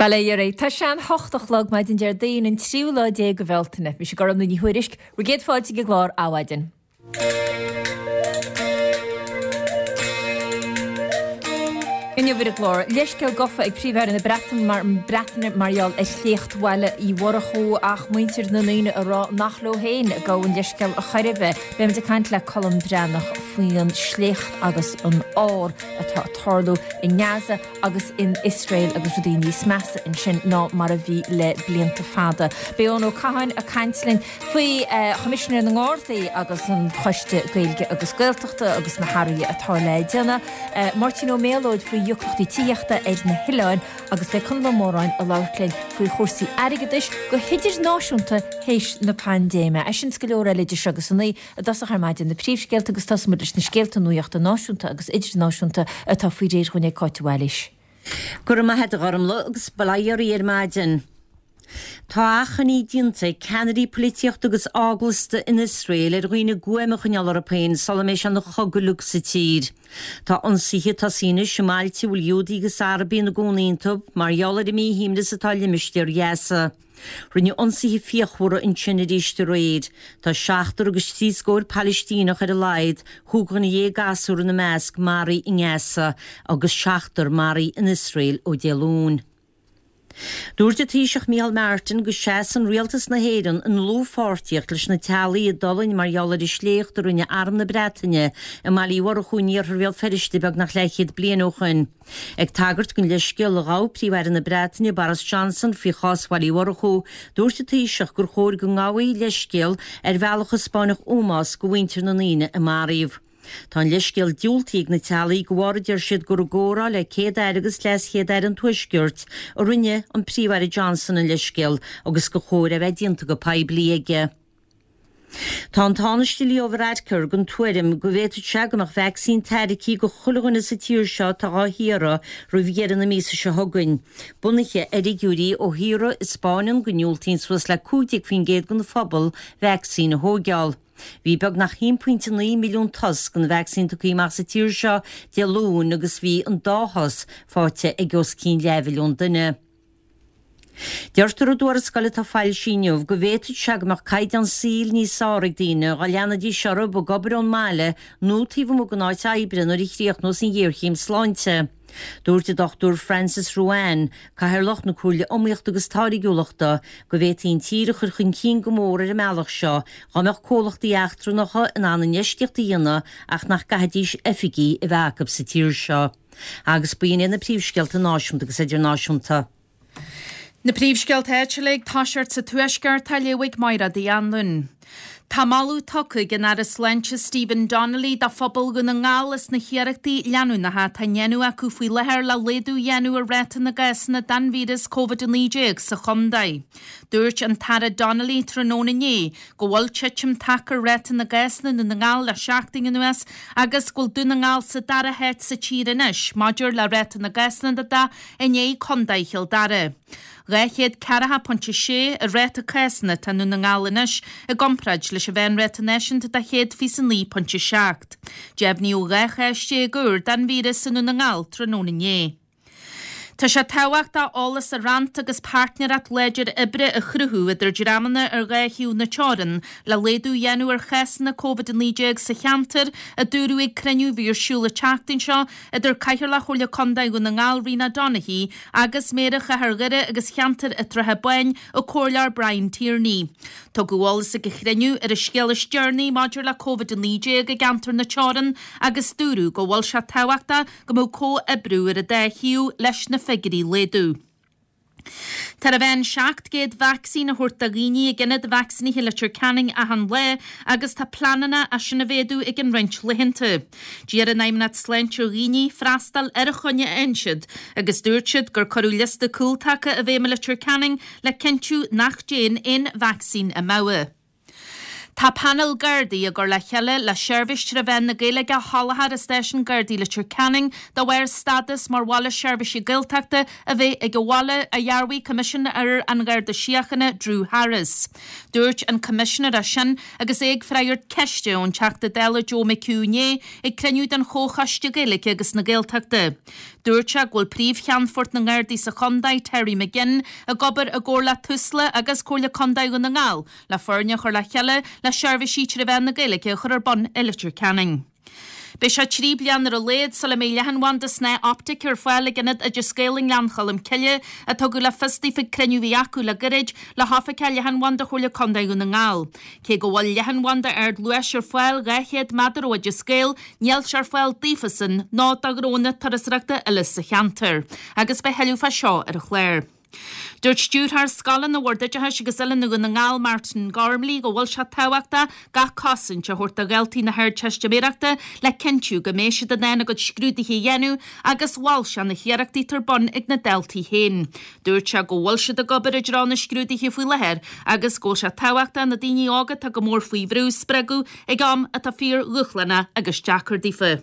Bail ó Dhia oraibh. Tá sé an hocht a chlog maidin Déardaoin an tríú lá déag de Bhealtaine. Mise Gormfhlaith Ní Thuairisg, bhur gcéad fáilte ag an gclár Adhmhaidin. Inniu ar an gclár, leithscéal gofa ag Príomh-Aire na Breataine mar gheall ar shléacht Bhaile Uí Mhurchú ach muintir na ndaoine ag rá nach leo féin a gabhadh an leithscéal a chor ar bith. Beimid ag caint le Colm Breathnach faoin sléacht agus an ár atá ag tarlú i nGaza agus in Iosrael agus rudaí níos measa ansin ná mar a bhí le blianta fada. Beidh Eoin Ó Catháin ag caint linn faoi Choimisinéir na nGardaí agus an Choiste Gaeilge agus Gaeltachta agus na hathruithe atá le déanamh. Máirtín Ó Méalóid faoi dheacrachtaí tithíochta ar na hoileáin agus beidh Conall Ó Móráin ag labhairt linn faoi chúrsaí airgeadais go hidirnáisiúnta théis na paindéime. É sin is go leor eile idir seo agus a naoi. I dtosach ar maidin na príomhscéalta agus tosóidh muid leis na scéalta nuachta náisiúnta agus idirnáisiúnta atá faoi réir dhúinn ag Cáit de Bhailís. Go raibh maith a't a Ghormfhlaith agus bail ó Dhia oraibh ar maidin. Tá achainí déanta ag ceannairí polaitíochta agus eaglasta in Iosrael ar dhaoine guaim a choinneáil orthu féin sula mbeidh sé ina chogadh uilig sa tír. Tá ionsaithe ag tosaí anois i mbailte a bhfuil Iúdaigh agus Arabaigh ina gcónaí iontu mar gheall ar an míshuaimhneas atá i limistéar Ghaza. Rinneadh ionsaithe fíochmhara ansin arís aréir. Tá seachtar agus trí scóir Palaistíneach ar a laghad, chúig dhuine dhéag gasúr ina measc, maraithe i nGaza agus seachtar maraithe in Iosrael ó Dé Luain. Dúirt an Taoiseach Micheál Martin go seasann Rialtas na hÉireann i ndlúthpháirtíocht leis na teaghlaigh a d'fhulaing mar gheall ar an sléacht a rinne Arm na Breataine i mBaile Uí Mhurchú in iarthar Bhéal Feirste beagnach leathchéad bliain ó shoin. Ag tagairt don leithscéal a ghabh Príomh-Aire na Breataine, Boris Johnson, faoi chás Bhaile Uí Mhurchú, dúirt an Taoiseach gur chóir go ngabhfaí leithscéal ar bhealach a 'spáinfeadh ómós do mhuintir na ndaoine a maraíodh. Tá an leithscéal diúltaithe ag na teaghlaigh de bharr a deir siad gur i gcomhrá le Céad-Aire agus LeasChéad-Aire an Tuaiscirt a rinne an Príomh-Aire Johnson an leithscéal agus gur chóir é a bheith déanta go poiblí aige. Tá an Tánaiste Leo Varadkar den tuairim go bhféadfadh sé go mbeadh vacsaín tairgthe do chuile dhuine sa tír seo atá dhá hiarraidh roimh dheireadh na míosa seo chugainn, bunaithe ar fhigiúirí ó thíortha a 'spáineann go ndiúltaíonn suas le 15% den phobal vacsaín a thóigeáil. Bhí beagnach 1.9 milliún dos den vacsaín tugtha amach sa tír seo Dé Luain agus bhí an dá dhos faighte ag os cionn leathmhilliún duine. Deirtear i dtuarascáil atá foilsithe inniu go bhféadfadh sé go mbeadh caighdeán saoil níos fearr ag daoine dá leanfaidís orthu ag obair ón mbaile nó taobh amuigh den áit oibre nuair a chríochnós an ghéarchéim sláinte. Dúirt an Dr Francis Ruane, Cathaoirleach na Comhairle Iomaíochta agus Táirgiúlachta, go bhféadfaí an tír a chur chun cinn go mór ar an mbealach seo dá mbeadh comhlachtaí eachtrannacha in ann infheistíocht a dhéanamh ach nach gcaithfidís oifigí a bheith acu sa tír seo. Agus b'in iad na príomhscéalta náisiúnta agus idirnáisiúnta. Na príomhscéalta áitiúla ag toiseacht sa Tuaisceart á léamh ag Mairéad Uí Anluain. Tá moladh tugtha ag an Aire Sláinte Stephen Donnelly do phobal Dhún na nGall as na hiarrachtaí leanúnacha atá á ndéanamh acu faoi láthair le laghdú a dhéanamh ar ráta na gcásanna den víreas Covid-19 sa chontae. Dúirt an tAire Donnelly tráthnóna inné go bhfuil titim tagtha ar ráta na gcásanna i nDún na nGall le seachtain anuas agus go bhfuil Dún na nGall sa dara háit sa tír anois maidir le ráta na gcásanna de i ndiaidh Contae Chill Dara. 240.6 an ráta cásanna atá i nDún na nGall anois i gcomparáid leis an mheánráta náisiúnta de 129.7. Deimhníodh 12 chás úr den víreas i nDún na nGall tráthnóna inné. Tá sé tábhachtach eolas a roinnt agus páirtnéireacht láidir oibre a chruthú idir dreamanna ar dhá thaobh na teorann le laghdú a dhéanamh ar chásanna Covid-19 sa cheantar, a dúradh ag cruinniú a bhí ar siúl an tseachtain seo idir Cathaoirleach Chomhairle Contae Dhún na nGall Rena Donaghey agus Méara Chathair Dhoire agus Cheantar an tSratha Báin, an Comhairleoir Brian Tierney. Tugadh eolas ag an chruinniú ar an scéal is deireanaí maidir le Covid-19 i gceantar na teorann agus dúradh go bhfuil sé tábhachtach go mbeadh comhoibriú ar an dá thaobh leis na figiúirí a laghdú. Tá ar a mheán 700 vacsaín á thabhairt do dhaoine ag ionad vacsaínithe Leitir Ceanainn achan lá agus tá pleananna é sin a mhéadú i gcionn roinnt laethanta. D'iarr an Fheidhmeannacht Sláinte ar dhaoine freastal ar an choinne a fhaigheann siad agus dúirt siad gur cuireadh liosta cúltaca i bhfeidhm i Leitir Ceanainn le cinntiú nach dtéann aon vacsaín amú. Tá painéal Gardaí á gcur le chéile le seirbhís tré mheán na Gaeilge a sholáthar i Stáisiún Gardaí Leitir Ceanainn de bharr stádas mar Bhaile Seirbhíse Gaeltachta a bheith ag an bhaile, a dhearbhaigh Coimisinéir an Gharda Síochána, Drew Harris. Dúirt an Coimisinéir é sin agus é ag freagairt ceiste ón Teachta Dála Joe McHugh inné ag cruinniú den Chomhchoiste Gaeilge agus na Gaeltachta. Dúirt sé go bhfuil Príomh-Cheannfort na nGardaí sa chontae, Terry McGinn, ag obair i gcomhar le Tusla agus Comhairle Contae Dhún na nGall le foirne a chur le chéile le seirbhísí tré mheán na Gaeilge a chur ar bun i Leitir Ceanainn. Beidh sé 3 bliana ar a laghad sula mbeidh leathanbhanda snáth optaice ar fáil ag Ionad Oideas Gael i nGleann Cholm Cille, a tugadh le fios daofa ag cruinniú a bhí acu le gairid le hoifigeach leathanbhanda Chomhairle Contae Dhún na nGall. Cé go bhfuil leathanbhanda ardluais ar fáil 200 méadar ó Oideas Gael, níl sé ar fáil daofasan ná do ghnónna turasóireachta eile sa cheantar. Agus beidh thuilleadh fá seo ar an chlár. Dúirt Stiúrthóir Scoileanna Bhord Oideachais agus Oiliúna Dhún na nGall, Martin Gormley, go bhfuil sé tábhachtach gach cosaint a thabhairt do dhaltaí na hArdteistiméireachta le cinntiú go mbeidh siad in ann a gcuid scrúduithe a dhéanamh agus mhol sé na hiarrachtaí atá ar bun ag na daltaí féin. Dúirt sé go bhfuil siad ag obair i dtreo na scrúduithe faoi láthair agus go bhfuil sé tábhachtach na daoine óga atá go mór faoi bhrú a spreagadh ag am atá fíor-dhúshlánach agus deacair daofa.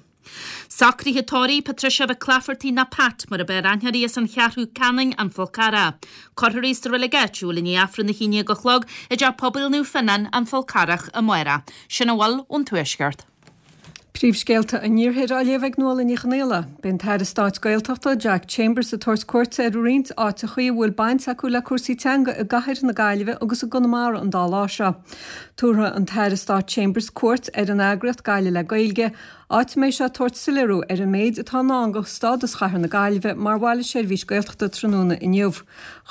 Socruithe tórraimh Patricia Mhic Laifeartaigh nó Pat mar ab fhearr aithne uirthi as an Cheathrú Ceanainn, An Fál Carrach. Cuirfear í sa reilig áitiúil i ndiaidh Aifreann 11 a chlog i dTeach Pobail Naomh Fionnán, An Fál Carrach amárach. Sin a bhfuil ón Tuaisceart. Príomhscéalta an Iarthair á léamh ag Nuala Ní Chonfhaola. Beidh an tAire Stáit Gaeltachta, Jack Chambers ag tabhairt cuairte ar roinnt áiteachaí a bhfuil baint acu le cúrsaí teanga i gcathair na Gaillimhe agus i gConamara an dá lá seo. Tabharfaidh an tAire Stáit Chambers cuairt ar an eagraíocht Gaillimh le Gaeilge, áit a mbeidh sé ag tabhairt soiléiriú ar an méid atá i ndán do stádas Chathair na Gaillimhe mar Bhaile Seirbhís Gaeltachta tráthnóna inniu.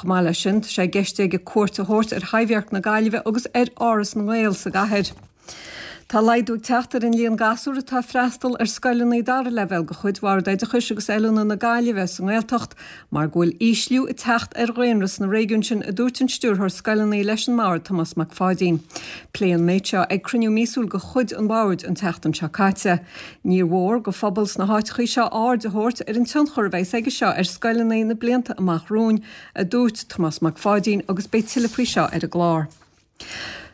Chomh maith leis sin, tá sé i gceist aige cuairt a thabhairt ar Thaibhdhearc na Gaillimhe agus ar Áras na nGael sa gcathair. Tá laghdú ag teacht ar an líon gasúr atá ag freastal ar scoileanna dara leibhéal de chuid Bhord Oideachais agus Oiliúna na Gaillimhe sa nGaeltacht mar go bhfuil ísliú ag teacht ar dhaonra sna réigiúin sin, a dúirt an Stiúrthóir Scoileanna leis an mBord, Tomás Mac Pháidín. Pléadh an méid seo ag cruinniú míosúil de chuid an Bhoird an tseachtain seo caite. Níor mhór do phobal sna háiteachaí seo aird a thabhairt ar an tionchar a bheas aige seo ar scoileanna na blianta amach romhainn, a dúirt Tomás Mac Pháidín agus beidh tuilleadh faoi seo ar an gclár.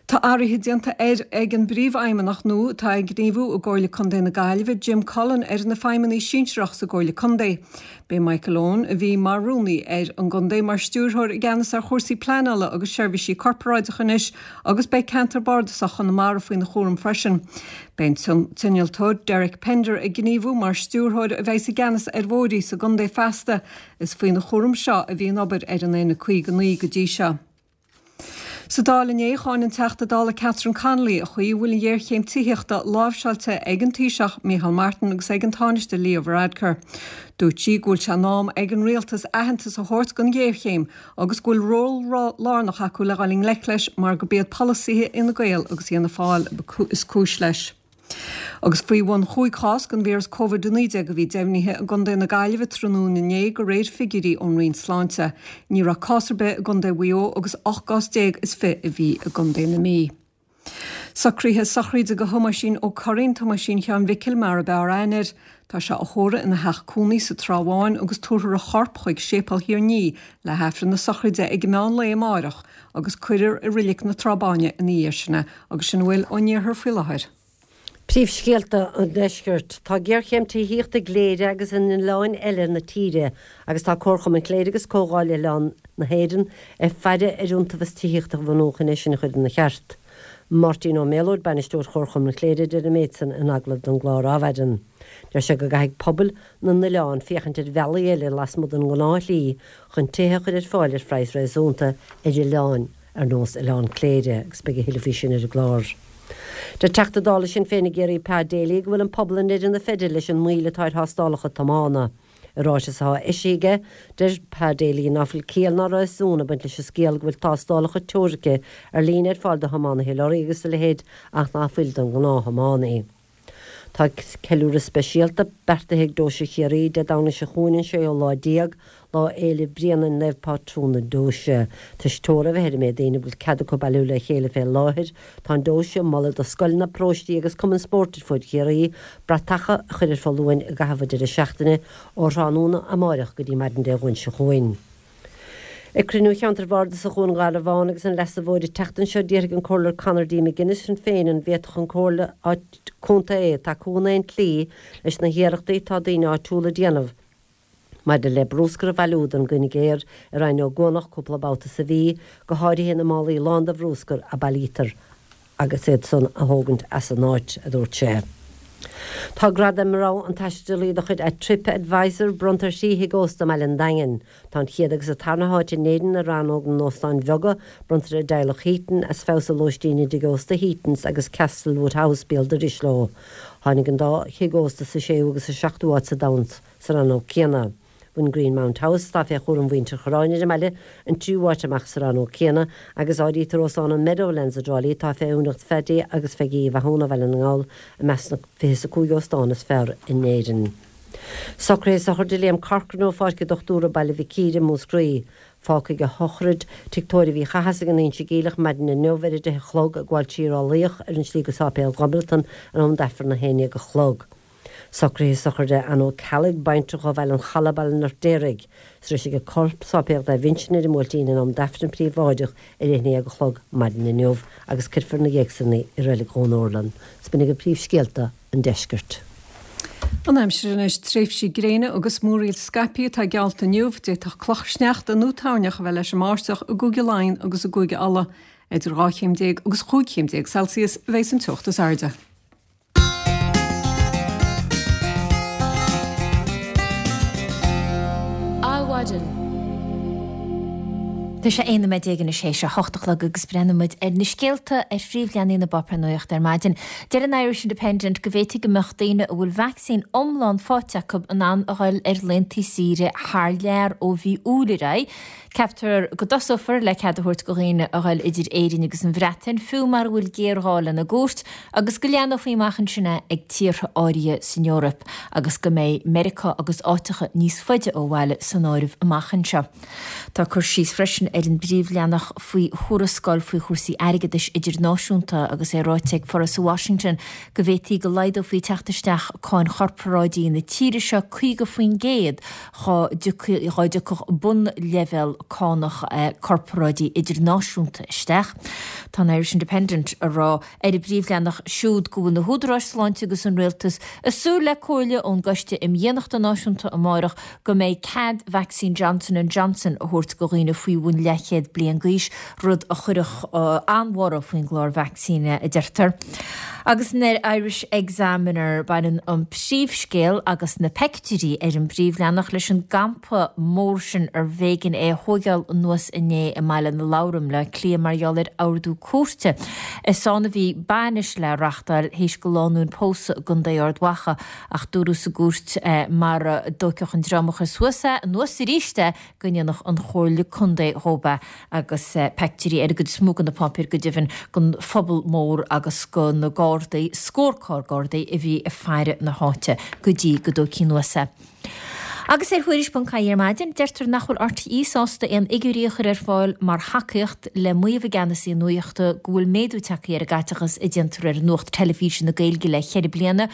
Tá athruithe déanta ar ag an bPríomhfheidhmeannach nua atá ag gníomhú i gComhairle Contae na Gaillimhe, Jim Cullen, ar na feidhmeannaigh sinsearach sa gComhairle Contae. Beidh Michael Owen, a bhí mar Rúnaí ar an gContae, mar Stiúrthóir i gceannas ar chúrsaí pleanála agus seirbhísí corparáideacha anois agus beidh Ceantar Bardasach Chonamara faoina chúram freisin. Beidh an t-innealtóir Derek Pender ag gníomhú mar Stiúrthóir a bheas i gceannas ar bhóithrí sa gcontae feasta. Is faoina chúram seo a bhí an obair ar an N59 go dtí seo. Sa Dáil inné, cháin an Teachta Dála Catherine Connolly an chaoi a bhfuil an ghéarchéim tithíochta láimhseáilte ag an Taoiseach Micheál Martin agus ag an Tánaiste Leo Varadkar. Dúirt sí go bhfuil sé in am ag an rialtas aitheantas a thabhairt don ghéarchéim agus go bhfuil ról lárnach acu le dhul i ngleic leis mar gurb iad polasaithe Fhine Gael agus Fhianna Fáil is cúis leis. Agus faoi bhun chúig chás den víreas Covid-19 a bhí deimhnithe i gcontae na Gaillimhe tráthnóna inné de réir figiúirí ón Roinn Sláinte. Ní raibh cás ar bith i gcontae Mhaigh Eo agus 18 gcás is 20 a bhí i gcontae na Mí. Socruithe sochraide do Thomáisín Ó Curraoin, Tomáisín Sheáin Mhicil mar ab fhearr aithne air. Tá sé á thórramh ina theach cónaí sa Trá Bháin agus tabharfar a chorp chuig Séipéal Thír an Fhia le hAifreann na sochraide ag meán lae amáireach agus cuirfear i Reilig na Trá Báine ina dhiaidh sin é agus sin a bhfuil ón iarthar faoi láthair. Príomhscéalta an Deiscirt. Tá géarchéim tithíochta i gCléire agus in oileáin eile na tíre agus tá Comharchumann Chléire agus Comhdháil Oileán na hÉireann ag faire ar iontaobhas tithíochta a bhunú chun é sin a chur ina cheart. Máirtín Ó Méalóid, Bainisteoir Chomharchumann Chléire a deir an méid san in agallamh don gclár Adhmhaidin. Deir sé go gcaithfidh pobail na n-oileán féachaint ar bhealaí eile lasmuigh den ngnáthshlí chun tithe a chur ar fáil ar phraghas réasúnta ar oileáin ar nós Oileán Cléire agus beidh a thuilleadh faoi sin ar an gclár. Deir Teachta Dála Sinn Féin i gCiarraí Pa Daly go bhfuil an pobal i ndeireadh na feide leis an moill atá ar thástálacha tiomána. I ráiteas atá eisithe aige, deir Pa Daly ná fuil ciall ná réasún ag baint leis an scéal go bhfuil tástálacha teoirice ar líne ar fáil do thiománaithe lorraí agus a leithéid ach ná fuil don ghnáth-thiománaí. Tá ceiliúradh speisialta beartaithe ag Deoise Chiarraí Dé Domhnaigh seo chugainn an séú lá déag, Lá Fhéile Bréanainn Naomh Pátrún na Deoise. Toisc teora a bheith ar an méid daoine a bhfuil cead acu bailiú le chéile fé láthair, tá an Deoise ag moladh do scoileanna, paróistí agus cumainn spóirt ar fuaid Chiarraí bratacha a chur ar foluain i gcaitheamh an deireadh seachtaine ó thráthnóna amáireach go dtí maidin Dé Domhnaigh seo chugainn. Ag cruinniú Cheantar Bhardasach Dhún Garbhán agus an Leasa Mhóir an tseachtain seo d'fhiafraigh an Comhairleoir Conor D. McGuinness Sinn Féin an bhféadfadh an Comhairle Contae tacú in aon tslí leis na hiarrachtaí atá daoine áitiúla a déanamh maidir le brúscar a bhailiú don gcoinicéar i Rinn Ó gCuanach cúpla babhta sa mhí, go háirithe na málaí lán de bhrúscar a bailítear. agus iad san a thógaint as an áit, a dúirt sé. Tá gradam rogha an taistealaí de chuid Trip Advisor bronnta ar thrí thigh ósta i mbaile an Daingin. Tá an chéad agus an tarna háit in Éirinn i rannóg na n-óstán bheaga bronnta ar an dteaghlach Heaton as feabhas a lóistín i dtigh ósta Heatons agus Castlewood House béal dorais leo. Tháinig an dá thigh ósta sa séú agus sa seachtú háit sa domhan sa rannóg céanna. Bhain Greenmount House, atá fé chúram mhuintir Chorráin ar an mbaile, an tríú háit amach sa rannóg céanna, agus áirítear Óstán an Meadowlands i dTrá Lí, atá fé úinéireacht Phaddy agus Pheigí Uí Mhathúna ó Bhaile na nGall, i measc na 25 óstán is fearr in Éirinn. Socruithe sochraide Liam Corcoran ó Pháirc an Dochtúra, Baile Mhic Íre, Múscraí. Fágfaidh a shochraid Tigh Tórraimh Uí Chathasaigh in Inse Geimhleach maidin inniu ar a 10 a chlog, ag gabháil trí Ráth Luíoch ar an slí go Sáipéal Dhomhnaltan in am d'Aifreann a 11 a chlog. Socruithe sochraide Ann O'Ceallaigh, baintreach ó Bhaile an Chalaidh, Baile an Fheirtéaraigh. Sroisfidh a corp Sáipéal Naomh Uinseann ar an mBuailtín in am d'Aifreann príobháideach ar a 11 a chlog maidin inniu agus cuirfear ina dhiaidh san í i Reilig Dhún Urlann. 'S b'in agaibh príomhscéalta an deiscirt. An aimsir anois, tréimhsí gréine agus múraíl scaipthe atá geallta inniu. D'fhéadfadh cloch shneachta nó toirneach a bheith leis an mbáisteach i gCúige Laighean agus i gCúige Uladh. Idir 12 chéim agus 15 chéim Celsius a bheas an teocht is airde. Adhmhaidin. Tá sé 11 nóiméad anois théis a hocht a chlog agus breathnóidh muid ar na scéalta ar phríomhleathanaigh na bpáipéar nuachta ar maidin. Deir an Irish Independent go bhféadfaidh go mbeadh daoine a bhfuil vacsaín iomlán faighte acu in ann a dhul ar laethanta saoire thar lear ó mhí Iúil ar aghaidh. Ceaptar go dtosófar le cead a thabhairt do dhaoine a dhul idir Éirinn agus an Bhreatain, fiú mara bhfuil géarghá lena gcuairt, agus go leathnófaí amach ansin é ag tíortha áirithe san Eoraip agus go mbeidh Meiriceá agus áiteacha níos faide ó bhaile san áireamh amach anseo. Tá cur síos freisin ar an bpríomhleathanach faoi thuarascáil faoi chúrsaí airgeadais idirnáisiúnta agus é ráite ag foras i Washington go bhféadfaí go laghdófaí teacht isteach cáin chorparáidí na tíre seo 50% dhá dtiocfadh bunleibhéal cánach corparáidí idirnáisiúnta isteach. Tá an Irish Independent ag rá ar a bpríomhleathanach siúd go bhfuil na húdaráis sláinte agus an rialtas ag súil le comhairle ón gCoiste um Dhaonnachta Náisiúnta amárach go mbeidh cead vacsaín Johnson and Johnson a thabhairt do dhaoine faoi bhun leathchéad bliain d'aois, rud a chuirfeadh an-bhorradh faoin gclár vacsaíne, a deirtear. Agus san Irish Examiner, baineann an príomhscéal agus na peictiúirí ar an bpríomhleathanach leis an gcampa mór sin arbh éigean é a thóigeáil anuas inné i mBaile na Lobhar i mBleá Cliath mar gheall ar ordú cúirte. Is ann a bhí bainis le reachtáil théis do lánúin pósadh i gContae Ard Mhacha ach dúradh sa gcúirt mara dtóigfeadh an dream a chuir suas é anuas arís é go ndéanfadh an Chomhairle Contae dhóibh é agus peictiúirí ar an gcuid is mó de na páipéir go deimhin den phuball mór agus de na Gardaí, scór carr Gardaí a bhí ag faire na háite go dtí go dtógfaí anuas é. Agus ar Thuairisc.ie ar maidin, deirtear nach bhfuil RTÉ sásta aon fhigiúirí a chur ar fáil mar thacaíocht le maíomh a gceannasaí nuachta go bhfuil méadú tagtha ar an gcaiteachas a déantar ar nuacht teilifíse na Gaeilge le ceithre bliana.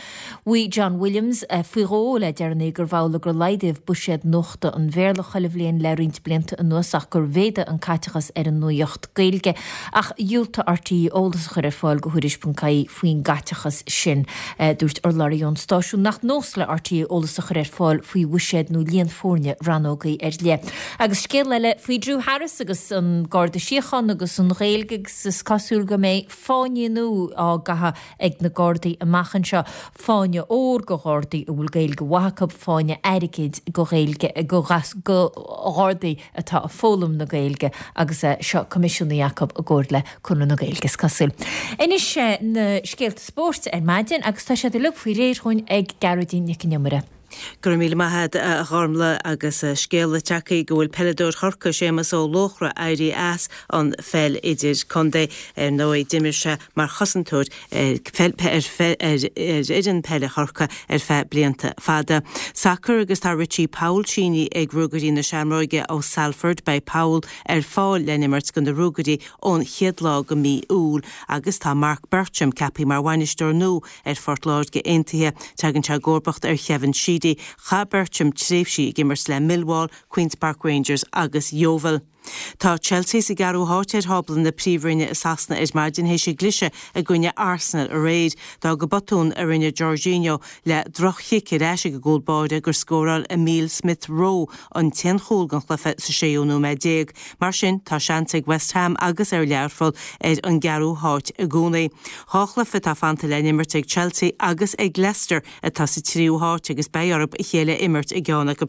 Mhaígh John Williams faoi dhó le deireanaí gurbh amhlaidh gur laghdaíodh buiséad nuachta an Bhéarla chuile bhliain le roinnt blianta anuas ach gur mhéadaigh an caiteachas ar an nuacht Gaeilge. Ach dhiúltaigh RTÉ eolas a chur ar fáil do Thuairisc.ie faoin gcaiteachas sin. Dúirt urlabhraí ón stáisiún nach nós le RTÉ eolas a chur ar fáil faoi bhuiséad nó líon foirne rannógaí ar leith. Agus scéal eile faoi Drew Harris agus an Garda Síochána agus an Ghaeilge agus is cosúil go mbeidh fáinní nua á gcaitheamh ag na Gardaí amach anseo, fáinne óir do Ghardaí a bhfuil Gaeilge mhaith acu, fáinne airgid do Ghaeilge do Ghardaí atá ag foghlaim na Gaeilge agus é seo coimisiúnaithe acu i gcomhar le Conradh na Gaeilge is cosúil. Anois na scéalta spóirt ar maidin agus tá siad uilig faoi réir dhúinn ag Gearóidín Nic an Iomaire. Go raibh míle maith agat a Ghormlaith agus scéala tagtha go bhfuil peileadóir Chorcaí Séamus Ó Luachra éirithe as an pheil idir-contae. Ar ndóigh d'imir sé mar chosantóir ar fhoireann peile Chorcaí ar feadh blianta fada. Sacar agus tá Richie Powell sínithe ag Ruagairí na Seamróige ó Salford. Beidh Powell ar fáil le n-imirt do na Ruagairí ón chéad lá de mhí Iúil agus tá Marc Bircham ceaptha mar bhainisteoir nua ar Phort Láirge Aontaithe. Tagann sé i gcomharbacht ar Kevin Sheedy. Chaith Bircham tréimhsí ag imirt le Millwall, Queens Park Rangers agus Yeovil. Tá Chelsea sa gceathrú háit ar thábla na Príomhroinne i Sasana ar maidin théis a gcliseadh i gcoinne Arsenal aréir. D'fhág botún a rinne Jorginho le droch-chic ar ais ag an gcúl báire gur scóráil Emile Smith Rowe an t-aon chúl den chluiche sa séú nóiméad déag. Mar sin, tá seans ag West Ham agus ar Learpholl ar an gceathrú háit i gcónaí. Dhá chluiche atá fanta le n-imirt ag Chelsea agus ag Leicester atá sa tríú háit agus beidh orthu a chéile a imirt i gceann acu.